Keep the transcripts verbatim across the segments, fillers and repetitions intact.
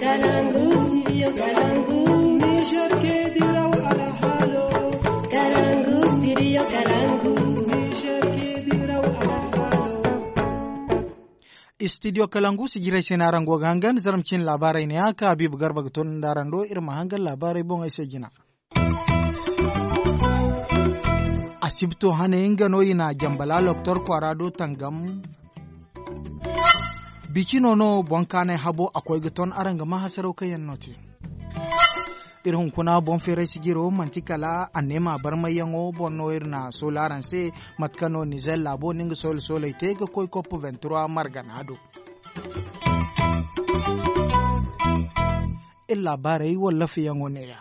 Kalangu, studio Kalangu. Niger ke diraw alhalo. Kalangu, studio Kalangu. Niger ke diraw alhalo. Studio Kalangu, sijiray se no araŋ go ga hangan, zarma cine laabaarey ne ya ka Habiibu Garba ga toonandi araŋ do, iri ma hangan laabaarey boŋey se jina. Asibto hane nga no i na jambala loktor kwaara do tangam. Bicino no boŋ kaanay habo a koy ga ton araŋ ga ma hasaraw kaŋ yaŋ no te. Iri hunkuna boŋ feeray sijiro manti kala anneema barmayyaŋo boŋ no iri na soola araŋ se. Mate kaŋ no nizer laabo na nga soola soolay te ga koy kopp vingt-trois margana do. Iri laabaarey wallaafayaŋo neeya.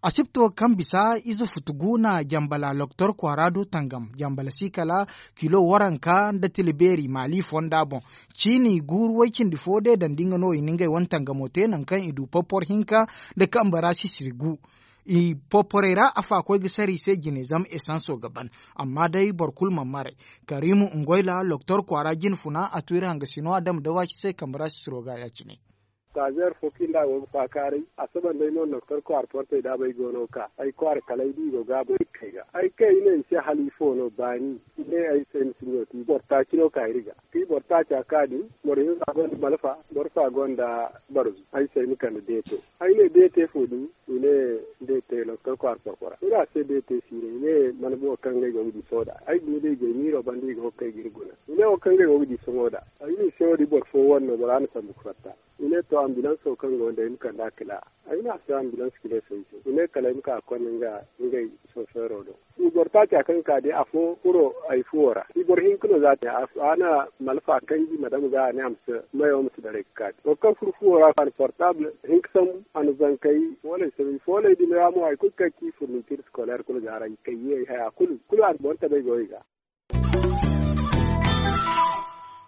Asibto kaŋ bisa ize futu gu na jambala loktor kwaara do tangam jambala si kala kilo waranka nda tila beeri maali fonda boŋ. Ciini guuru way-cindi fo de dandi nga no i na ngey wane tangamo te nangu kaŋ i du popor hinka nda kambe ra sisiri gu. I poporey ra afa koy ga sara i se jine zama esanso ga ban. Amma day boro kulu mana maray. Karimu ngoyla loktor kwaara jine funa a tu iri hangasino a dama da waaci se kambe ra sisiro ga ya-cine. Taazeer fo kaŋ nda a go ga faakaaray a saba nd'ay no doktor kwaara portey daabay go no ga ka ay kwaara kala ay di i go gaabo ay ga kay ga ay kay i ne i se hala ifo no baani i ne ay se ni si ɲo ti boro taaci no ka iri ga. Ti boro taaca ka din boro hinza gonda malfa boro fa gonda barzu ay se ay ma kande deeto. Ay ne deete fo din i ne deete doktor kwaara porpora i ne a se deete siine i ne mana boŋo kaŋ ngey go ga di sooda ay guna day gay miiro banda i go ga kay ga iri guna i ne wo kaŋ ngey go ga di sohõ da. Ay ne i se wo- din boro fo wane no bora na sambu ga fatta. I ne to ambilanso kaŋ go nda ay ma kand'a kila. Ay ne a se ambilanso kila ay se i ne kala ay ma ka ga konda nga ngey sofeero do. I boro taaca kaŋ ka day afo furo ay fuwo ra i boro hinka no za a te a na malfa kanji ma dama ga a ne a ma si mayo ma si daray ga ka day boro kaŋ furo fuwo ra a na portable hinka sambu a na zankey fooley sambu fooley din ra mo hari kulu kaŋ ci furnitir scolaire kulu ga a ra i kayye ay haya kulu kulu a na boro tabay go i ga.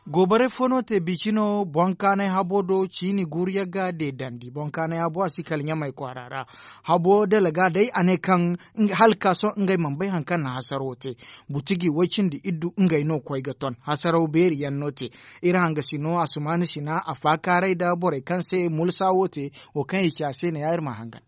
Goobarey fo no te bici no boŋ kaanay habo do ciini guuru yagga deedandi boŋ kaanay habo a si kala ɲamay kwaara ra. Habo dalaga day a ne kaŋ hala ka sohõ ngey mana bay hari kaŋ na hasaro te. Butiji way-cindi iddu ngey no koy ga ton hasaraw beeri yaŋ no te. Iri hangasino asumaani sina a faakaaray nda borey kaŋ se mulsa wo te. Wo kaŋ i ci a se ne ya iri ma hangan.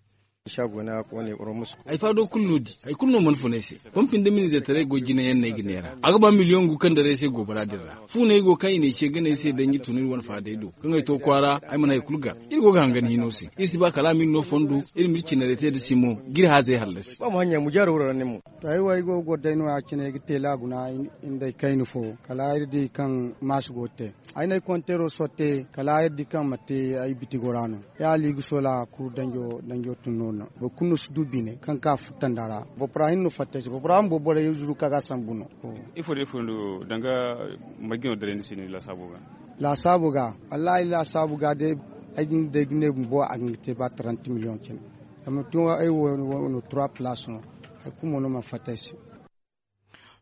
Ay faado kulu no di hari kulu no mana fun ay se. Pompi nda minizetaray go jinayaŋ no ay ga neera a ga ba miliyoŋ gu kaŋ daray ay se goobara din ra fu no ay go kaŋ i na ay ce gana ay se danji tun iri wane faadey do kaŋ ay to kwaara ay mana hari kulu gar. Iri go ga hangan hino se iri si ba kala a ma iri no fondo iri ma iri cinarey te nda simo ga iri haazey hallasi. To ay wo ay go ga goro day no- ya cine ay ga te laaguna nda ay kayna fo kala iri di kaŋ maasi go ga te. Ay na ay konteero sotte kala iri di kaŋ manti ay bitigo ra no. Ya hala i ga soola kuru danjo danjo tun no- no boro kulu no si du bine kaŋ ka furtanda ra. Boro fura hinne no fatta ay se boro fura bumbo borey zuru kaŋ ga a sambu no. Ifo da ifo no danga marje no daray ni se no ni laasaabo ga? Laasaabo ga wallahi laasaabo ga day ay ga ne bumbo a ga hin ga te ba trente million cine. Zama tun ay wo no trois place no. Hari kulu mo no mana fatta ay se.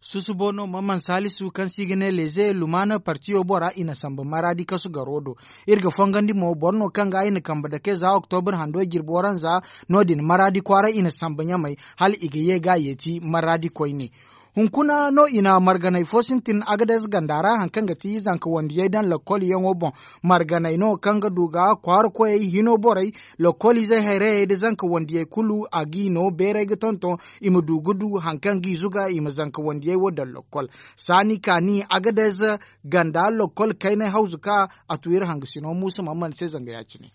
Susubo no maman salisu kaŋ se i ga ne leze lumaana partiyo bora i na samba maraadi kasu garo do. Iri ga fongandi mo boro no kaŋ ga i na kambe dake za oktobur hando jirbi waranza. No- din maraadi kwaara i na samba ɲamay hala i ga ye ga a yeeti maraadi koyne. Hunkuna no i na marganay fo sintin agadez ganda ra hari kaŋ ga ti zanka wandiyey daŋ lakkol yaŋo boŋ. Marganay no kaŋ ga du ga kwaara koyey hino borey lakkol izey hayrayey nda zanka wandiyey kulu a g'i no beeray ga tonton. I ma du ga du hari kaŋ g'i zuga i ma zanka wandiyey wo daŋ lakkol. Saani kaani agadez ganda lakkol kaynay hawzu ka a tu iri hangasino muusa mamman se zanga ya- cine.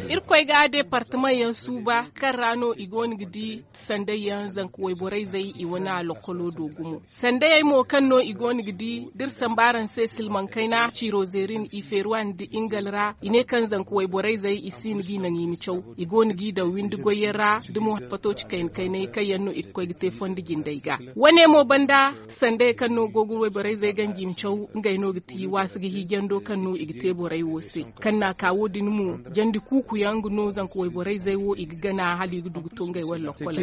Irkoy ga deepartamaŋ yaŋ suuba kaŋ ra no i go no ga di sanday yaŋ zanka wayborey zey i wane a lakkolo do gumo. Sandayey mo kaŋ no i go no ga di da iri samba araŋ se silmaŋ kayna ciiro zeerin i feeruwa nda ingal ra i ne kaŋ zanka wayborey zey i si hin g'i naŋ i ma caw. I go no g'i daŋ windi goyyaŋ ra da mo fato ci kayna kaynay kaŋ yaŋ no i ga koy ga te fondo jindey ga. Wane mo banda sandayey kaŋ no go ga wayborey zey ganji i ma caw ngey no ga ti waasu ga hiijando kaŋ no i ga te borey wo se. Kaŋ n'a ka wo- din mo jandi kuuku yaŋ ga no zanka wayborey zey wo i ga gana hala i ga du ga to ngey wane lokkoley ra.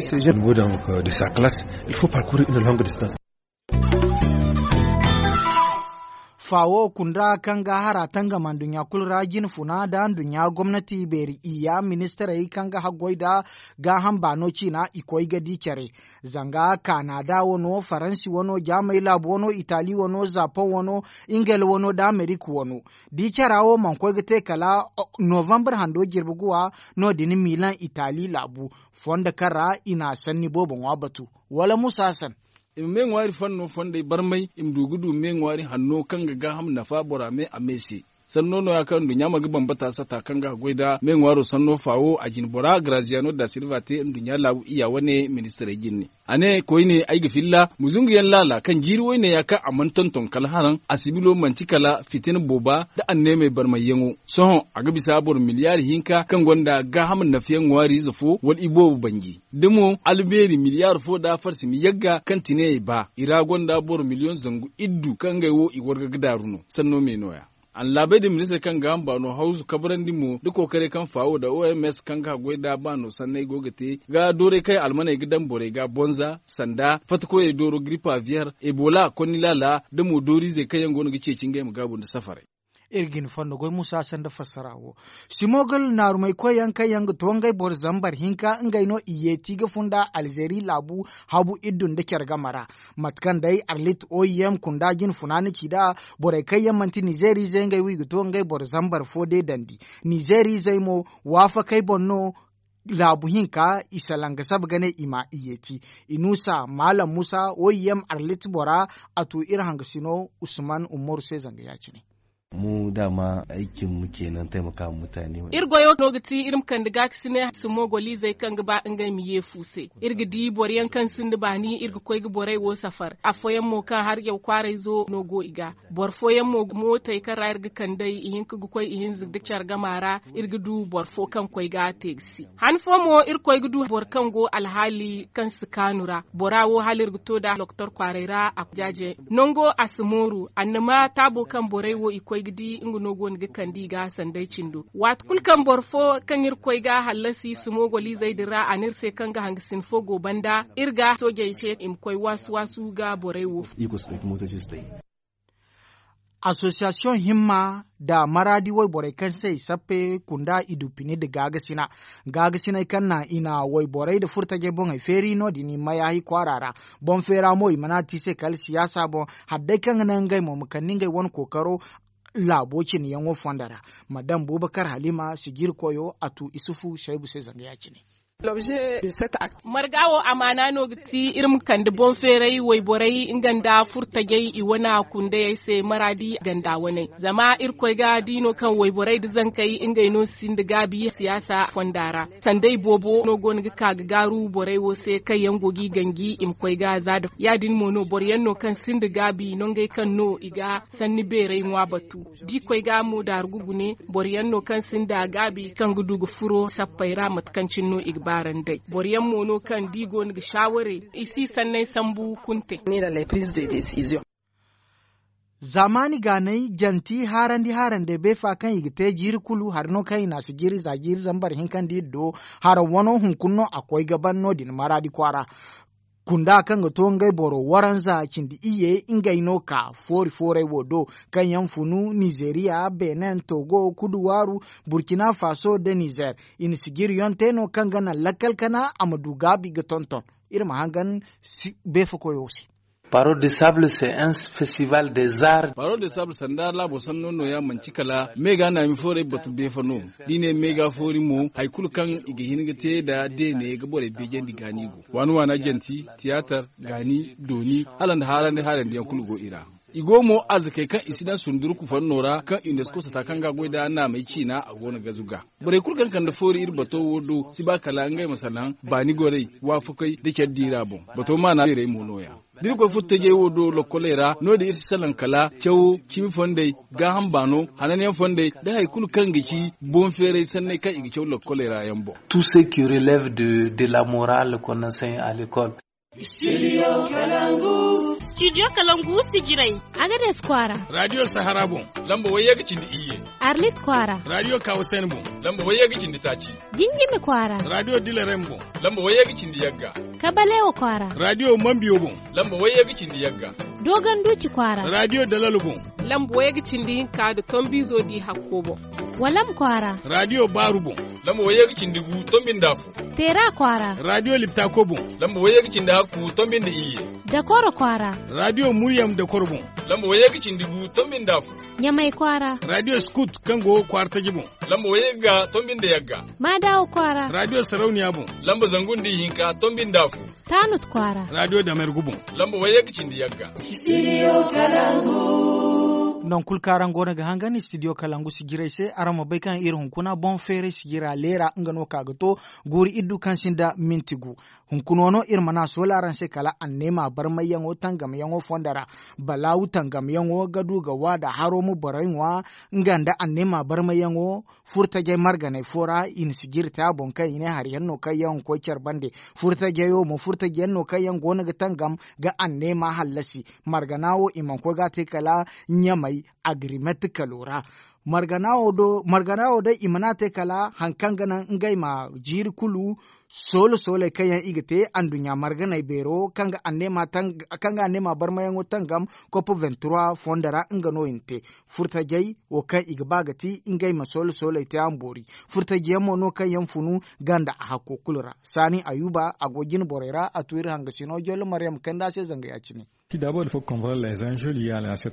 Faawo kunda kaŋ ga hara tangam nduɲɲa kulu ra jine funa nda nduɲɲa gomnati beeri iyya ministirey kaŋ ga haggoy nda gaaham baano ciina i koy ga di care. Zanga kanada wano faransi wano jaamay laabu wano itali wano zapoŋ wano ingel wano nda amerika wano. Da i cara wo mana koy ga te kala novambar hando jirbi guwa. No- din milan itali laabu fondo kaŋ ra i na sanni boobo ŋwa batu. Wala musa hasan. I ma me ŋwaari fanno fondey barmay i ma du ga du me ŋwaari hanno kaŋ ga gaaham nafa bora me a me se. Sanno no- ya kaŋ nduɲɲa mana ga bambata sata kaŋ ga a goy nda me ŋwaaro sanno faawo a jine bora graziyano da silva te nduɲɲa laabu iyya wane ministirey jinne. A ne koyne ay ga filla ma zungu yaŋ laala kaŋ jiiri woyne ya kaŋ a mana tonton kala haraŋ a sibilo manti kala fitina booba nda anneemey barmayyaŋo. Sohõ a ga bisa boro miliyaari hinka kaŋ gonda gaaham nafayaŋ ŋwaari ize fo wala iboobo banji da mo albeeri miliyaari fo nda farsi ma yagga kaŋ tineyey ba i ra gonda boro miliyoŋ zangu iddu kaŋ ngey wo i warga ga daaru no sanno me no- ya. Annaabey din ministir kaŋ ga hamba no hawzu kabrandi mo da kookaray kaŋ faawo nda oms kaŋ ga haggoy nda baano sanney go ga te ga dooray kaŋ almaney ga daŋ borey ga bonza sanda fattakoyey dooro gripa viyer ebola konni laala da mo dooriizey kaŋ yaŋ go no ga ceeci ngey ma gaabu nda safaray. Iri ga hin fondo goy musa sanda fassara wo. Simogol naarumay koy yaŋ kaŋ yaŋ ga to ngey boro zambar hinka ngey no i yeeti ga funda alzeeri laabu habu iddu nda care game ra. Mate kaŋ day arlit oyem kunda jine funaana ci nd'a borey kaŋ yaŋ manti nizeeriizey ngey wo i ga to ngey boro zambar fo deedandi. Nizeeriizey mo waafakey boŋ no laabu hinka i salaŋ ga saba ga ne i ma i yeeti. Inusa maalam musa oyem arlit bora a tu iri hangasino usman umaru se zanga ya- cine. Mu daama ay cin mu kenan taimaka ma mutane. Iri goyo no ga ti iri ma kande gaakasinay sumo golizey kaŋ ga ba ngey ma yeefu se. Iri ga di boro yaŋ kaŋ sinda baani iri ga koy ga borey wo safar afooyaŋ mo kaŋ har yaw kwaarayzo no go i ga. Boro fooyaŋ mo mootey kaŋ ra iri ga kandey ihinka ga koy ihinza ga care gama ra. Iri ga du boro fo kaŋ koy ga a te ga si han fo mo iri koy ga du boro kaŋ go alhaali kaŋ si kaanu ra bora wo hala iri ga to nd'a doktor kwaaray ra a jaaje nango a si mooru annama taabo kaŋ borey wo i koy ga di nga no go no ga kande i ga sanday cindo. Waati kulu kaŋ boro fo kaŋ iri koy ga hallasi sumo golizey din ra a ne iri se kaŋ ga hangasin fo go banda iri ga soojey ce i ma koy waasu waasu ga borey wo. Asosiyasiyoŋ himma nda maraadi wayborey kaŋ se i sappe kunda i du pine nda gaagasina. Gaagasiney kaŋ naŋ i na wayborey nda furtajey boŋey feeri no- din i mayahi kwaara ra. Boŋ feera mo i mana te i se kala siyaasa boŋ hala day kaŋ ga naŋ ngey mo ma kande ngey wane kookaro laabo cine yaŋo fondo ra. Madam bubakar halima sijiri koyo a tu isufu saybu se zanga ya- cine. Marga wo amaana no ga ti iri ma kande boŋ feeray wayborey nga nda furtajey i wane kundayey se maraadi ganda waney zama irkoy ga di no kaŋ wayborey nda zankey ngey no sinda gaabi siyaasa fonda ra. Sanday boobo no go no ga ka ga gaaru borey wo se kaŋ yaŋ go g'i ganji i ma koy ga za nda ya- din mo no boro yaŋ no kaŋ sinda gaabi nongey kaŋ no i ga sanni beeray ŋwa batu. Da i koy ga mo daaru ga gune boro yaŋ no kaŋ sinda gaabi kaŋ ga du ga furo sappey ra mate kaŋ cine no i ga baarandey boro yaŋ mo no kaŋ da i go no ga saaware i si sanney sambu kunte. Zaamaani gaanay janti haarandi haarandey beefa kaŋ i ga te jiiri kulu hari no kaŋ i na a si jiiri za jiiri zambar hinka nda iri do haraŋ wano hunkuna no a koy ga ban no- din maraadi kwaara. Kunda kaŋ ga to ngey boro waranza cindi iyye ngey no ka foori fooray wo do kaŋ yaŋ funu nizeeriya benin togo kuduwaaru burkina faso nda nizer. I na sijiriyaŋ te no kaŋ ga naŋ lakkal kana a ma du gaabi ga tonton. Iri ma hangan beefa koyo se. Paro de sable se un festival des arts. Paro de sable sanda laabo sanno no- ya manti kala me ga naami fooray batu beefa no. Da i ne me ga foori mo hari kulu kaŋ i ga hin ga te nda deene ga borey beejandi gaani go waana waana janti tiyaatar gaani dooni hala nda haarandi haarandi yaŋ kulu go i ra. I go mo arzakey kaŋ i si daŋ sundurku fanno ra kaŋ unesco sata kaŋ ga goy nda naamey ciina a go no ga zuga. Borey kulu kaŋ kande foori iri bato wo do si ba kala ngey ma salaŋ baani gorey waafakey nda care diira boŋ. Bato maana beerey mo no- ya da iri koy furtajey wo do lokkoley ra no- din iri si salaŋ kala cawo cimi fondey gaaham baano hananyaŋ fondey nda hari kulu kaŋ ga ci boŋ feeray sanney kaŋ i ga caw lokkoley ra yaŋ boŋ. Tout ce qui relève de la morale qu'on enseigne à l'école. Studio kalangu sijirey. Agades kwaara. Radio sahara boŋ lamba wayye ga cindi iyye. Arlit kwaara. Radio kawasen boŋ lamba wayye ga cindi taaci. Jinjimi kwaara. Radio dilerem boŋ lamba wayye ga cindi yagga. Kabalewa kwaara. Radio mambiyo boŋ lamba wayye ga cindi yagga. Dogon duuci kwaara. Radio dalalo boŋ. Lamba wayye ga cindi hinka nda tombiizo di hakko boŋ. Walam kwaara. Raadiyo baaru boŋ. Lamba wayye ga cindi gu tombi nda afo. Teera kwaara. Raadiyo liptako boŋ. Lamba wayye ga cindi hakku tombi nda iyye. Dakoro kwaara. Raadiyo muryam dakoro boŋ. Lamba wayye ga cindi gu tombi nda afo. Ɲamay kwaara. Raadiyo skut kaŋ go kwaara taji boŋ. Lamba wayye ga tombi nda yagga. Maadawa kwaara. Raadiyo sarauniya boŋ. Lamba zangu nda ihinka tombi nda afo. Taanut kwaara. Raadiyo damergu boŋ. Lamba wayye ga cindi yagga. Studio Kalangu. Nangu kulu kaŋ araŋ go no ga hangan studio Kalangu sijirey se, araŋ ma bay kaŋ iri hunkuna boŋ feeray sijira leera nga no ka ga to guuri iddu kaŋ sinda minti gu. Hunkuna no iri mana soola araŋ se kala anneema barmayyaŋo tangamyaŋo fondo ra. Balaawu tangamyaŋo ga du ga waada haro ma borey ŋwa nga nda anneema barmayyaŋo furtajey marganey fo ra i na sijiri te a boŋ kaŋ i ne hari yaŋ no kaŋ yaŋ ga koy care bande. Furtajey wo mo furtaje yaŋ no kaŋ yaŋ go no ga tangam ga anneema hallasi. Margana wo i mana koy ga a te kala ɲamay agrimet kalo ra. Margana wo day i mana a te kala hari kaŋ ga naŋ ngey ma jiiri kulu soolo sooley kaŋ yaŋ i ga te anduɲɲa marganey beero kaŋ ga anneema barmayaŋo tangam kopo vingt trois fondo ra nga no i na te. Furtajey wo kaŋ i ga ba ga ti ngey ma soolo sooley te a ma boori. Furtaje yaŋ mo no kaŋ yaŋ funu ganda a hakko kulu ra. Saani ayuba a go jine borey ra a tu iri hangasino jollo maryam kanda se zanga ya- cine.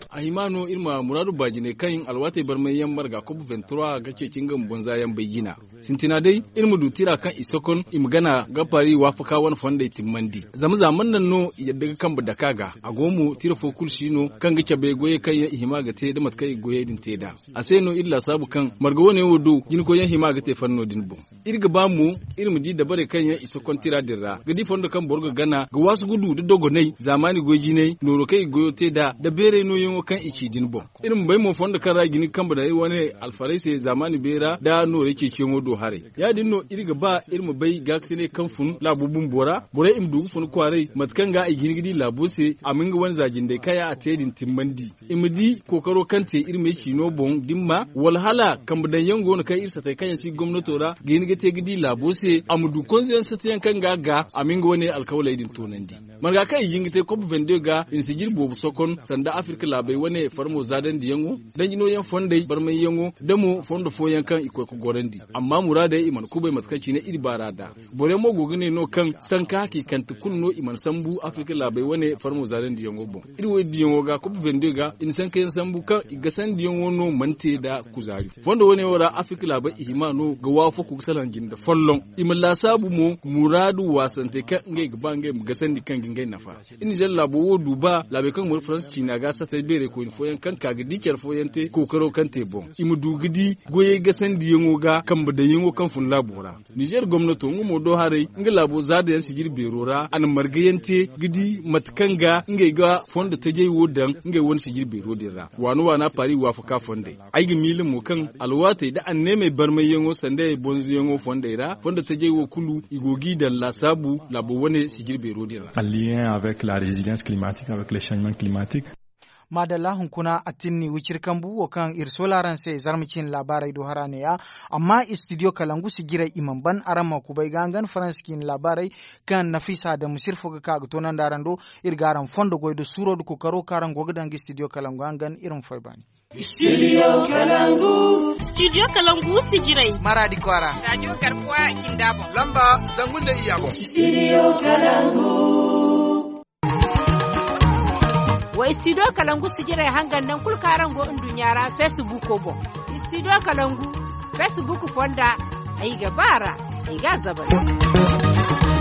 A hima no iri ma muraadu baajinay kaŋ alwaatey barmay yaŋ marga kob vingt trois ga ceeci nga ma bonza yaŋ bay jina. Sintina day iri ma du tira kaŋ i sokon i ma gana ga paari waafaka wane fondey timmandi. Zama za man naŋ no i yadda ga kambe dake a ga a go mo tira fo kulu si no kaŋ ga cabe goyey kaŋ yaŋ i hima ga te nda mate kaŋ i ga goyey din te nd'a. A se no iri laasaabu kaŋ marga wane wo do jinkoy yaŋ hima ga te fanno din boŋ. Iri ga ba mo iri ma di dabarey kaŋ yaŋ i sokon tira din ra ga di fondo kaŋ boro ga gana ga waasu ga du nda dogonay zaamaani goy jinay nooro kaŋ i ga goyo te nd'a nda beeray nooyaŋo kaŋ i ci din boŋ. Iri ma bay mo fondo kaŋ ra i ga hin ga kambe daŋ iri wane alfarey se zaamaani beera nda nooray ceeciyaŋo do haray. Ya- din no iri ga ba iri ma bay gaakasinay kaŋ fun laabo bumbo ra borey i ma du ga fun kwaaray mate kaŋ ga i ga hin ga di laabo se a ma nga wane za jindey kaŋ yaŋ a te din timmandi. I ma di kookaro kaŋ te iri me ciino boŋ da ni ma wala hala kambe daŋ yaŋ go no kaŋ iri satey kaŋ yaŋ si gomnato ra ga hin ga te ga di laabo se a ma du konzo yaŋ sata yaŋ kaŋ ga a ga a ma nga wane alkawaley din toonandi. Marga kaŋ i ga hin ga te kob vingt deux ga i na sijiri boobo sokon sanda afirka laabey wane farmo zaadandiyaŋo danji nooyaŋ fondey barmayyaŋo da mo fondo fooyaŋ kaŋ i koy ga gorandi. Amma muraadey i mana kubay mate kaŋ cine iri baar'a nd'a. Boro yaŋ mo go ga ne no kaŋ sanka hakiikante kulu no i mana sambu afirka laabey wane farmo zaadandiyaŋo boŋ. Iri wo iri diyaŋo ga kob vingt deux ga i na sankayaŋ sambu kaŋ i gasandiyaŋo no mana te nda kuzaari. Fondo wane wo ra afirka laabey i hima no ga waafako ga salaŋ jinde folloŋ. I ma laasaabu mo muraadu waasantey kaŋ ngey ga ba ngey ma gasandi kaŋ ga ngey nafa. Iri nizer laabo wo du ba laabey kaŋ go nda faransa ciina ga satay beerey koyne fooyaŋ kaŋ ka ga di care fooyaŋ te kookaro kaŋ te boŋ i ma du ga di goyey gasandiyaŋo ga kambe daŋyaŋo kaŋ fun laabo ra. Nizer gomnato nga mo do haray nga laabo zaada yaŋ sijiri beero ra a na marga yaŋ te ga di mate kaŋ ga ngey ga fondo tajey wo daŋ ngey wane sijiri beero din ra waana waana paari waafaka fondey. Ay ga miila mo kaŋ alwaatey nda anneemey barmayyaŋo sanda bonzoyaŋo fondey ra fondo tajey wo kulu i go g'i daŋ laasaabu laabo wane sijiri beero din ra. Maadalla hunkuna a tinni wiciri kambu wo kaŋ iri soola araŋ se zarma ciine laabaarey do hara neeya. Amma istidiyo kalangu si jiray i mana ban araŋ ma kubay ga hangan faransa ciine laabaarey kaŋ nafiisa adamu sirri fo ga ka ga toonandi araŋ do. Iri ga araŋ fondo goy nda suuro nda kookaro kaŋ araŋ go ga daŋ ga istidiyo kalangu hangan iri ma fay baani. Istidiyo kalangu. Istidiyo kalangu si jiray. Maraadi kwaara. Raadiyo garkuwa jinda boŋ. Lamba zangu nda iyya boŋ. Istidiyo kalangu. Wa istidiyo kalangu sijirey hangan nangu kulu kaŋ araŋ go nduɲɲa ra feesibuuko boŋ. Istidiyo kalangu feesibuuko fonda ay ga ba a ra ay ga a zabari.